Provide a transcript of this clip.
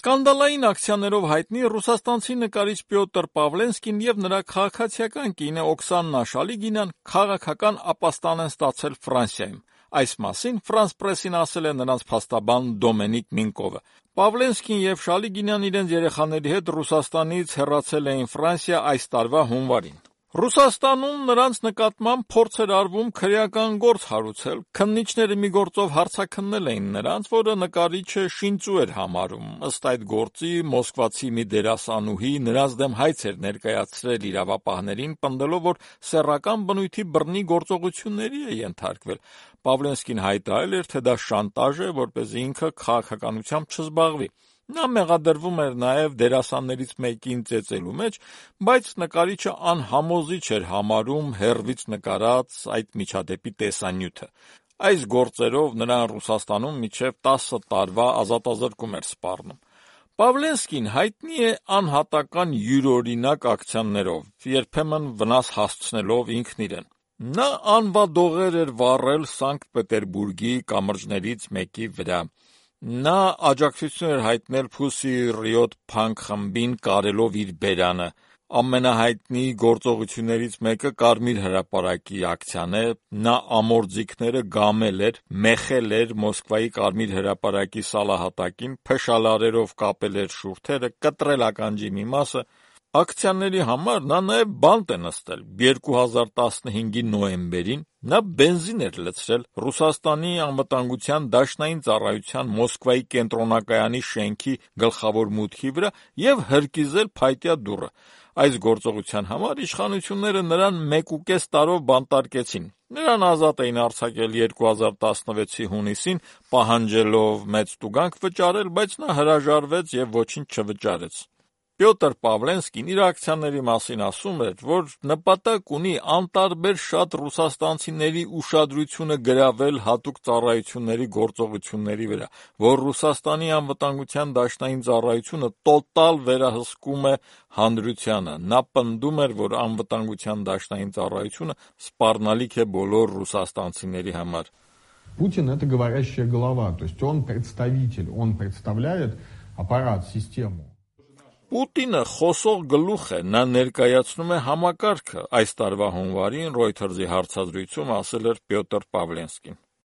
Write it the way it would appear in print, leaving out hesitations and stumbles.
Սկանդալային ակցիաներով հայտնի ռուսաստանցի նկարիչ Պյոտր Պավլենսկին եւ նրա քաղաքացիական կինը Օքսանա Շալիգինան քաղաքական ապաստան են ստացել Ֆրանսիայում։ Այս մասին France Press-ին ասել է նրանց փաստաբան Դոմենիկ Մինկովը։ Պավլենսկին եւ Շալիգինան իրենց երեխաների հետ Ռուսաստանից հեռացել էին Ֆրանսիա այս տարվա հունվարին։ Ռուսաստանում նրանց նկատմամբ փորձ էր արվում քրեական գործ հարուցել, քննիչները մի գործով հարցաքննել էին նրանց, որը նկարիչը շինծու էր համարում։ Ըստ այդ գործի մոսկվացի մի դերասանուհի նրանց դեմ հայց էր ներկայացրել իրավապահներին, պնդելով, որ սեռական բնույթի բռնի գործողությունների է ենթարկվել։ Պավլենսկին հայտարարել էր, թե դա շանտաժ է, որպեսզի ինքը քաղաքականությամբ չզբաղվի։ Նա մեղադրվում էր նաև դերասաններից մեկին ծեծելու մեջ, բայց նկարիչը անհամոզիչ էր համարում հեռվից նկարած այդ միջադեպի տեսանյութը։ Այս գործերով նրան Ռուսաստանում մինչև 10 տարվա ազատազրկում էր սպառնում։ Պավլենսկին հայտնի է անհատական յուրօրինակ ակցիաներով, երբեմն վնաս հասցնելով ինքն իրեն։ Նա անվադողեր էր վառել Սանկտ Պետերբուրգի կամրջներից մեկի վրա։ Նա աջակցություն էր հայտնել Pussy Riot Punk խմբին կարելով իր բերանը։ Ամենահայտնի գործողություններից մեկը Կարմիր հրապարակի ակցիան է։ Նա ամորձիկները գամել էր, մեխել էր Մոսկվայի Կարմիր հրապարակի սալահատակին, փշալարերով կապել էր շուրթերը, կտրել ականջի մի մասը։ Ակցիաների համար նա նաև բանտ է նստել։ 2015-ի նոյեմբերին նա բենզին էր լցրել Ռուսաստանի անվտանգության դաշնային ծառայության Մոսկվայի կենտրոնակայանի շենքի գլխավոր մուտքի վրա եւ հրկիզել փայտյա դուռը։ Այս գործողության համար իշխանությունները նրան 1.5 տարով բանտարկեցին։ Նրան ազատ էին արձակել 2016-ի հունիսին, պահանջելով մեծ տուգանք վճարել, բայց նա հրաժարվեց եւ ոչինչ չվճարեց։ Պյոտր Պավլենսկին իր ակցիաների մասին ասում էր, որ նպատակ ունի անտարբեր շատ ռուսաստանցիների ուշադրությունը գրավել հատուկ ծառայությունների գործողությունների վրա, որ Ռուսաստանի անվտանգության դաշնային ծառայությունը տոտալ վերահսկում է հանրությանը։ Նա պնդում էր, որ անվտանգության դաշնային ծառայությունը սպառնալիք է բոլոր ռուսաստանցիների համար։ Путин – это говорящая голова, то есть он представитель, он представляет аппарат, систему. Պուտինը խոսող գլուխ է, նա ներկայացնում է համակարգը, այս տարվա հունվարին Reuters-ի հարցազրույցում ասել էր Պյոտր Պավլենսկին։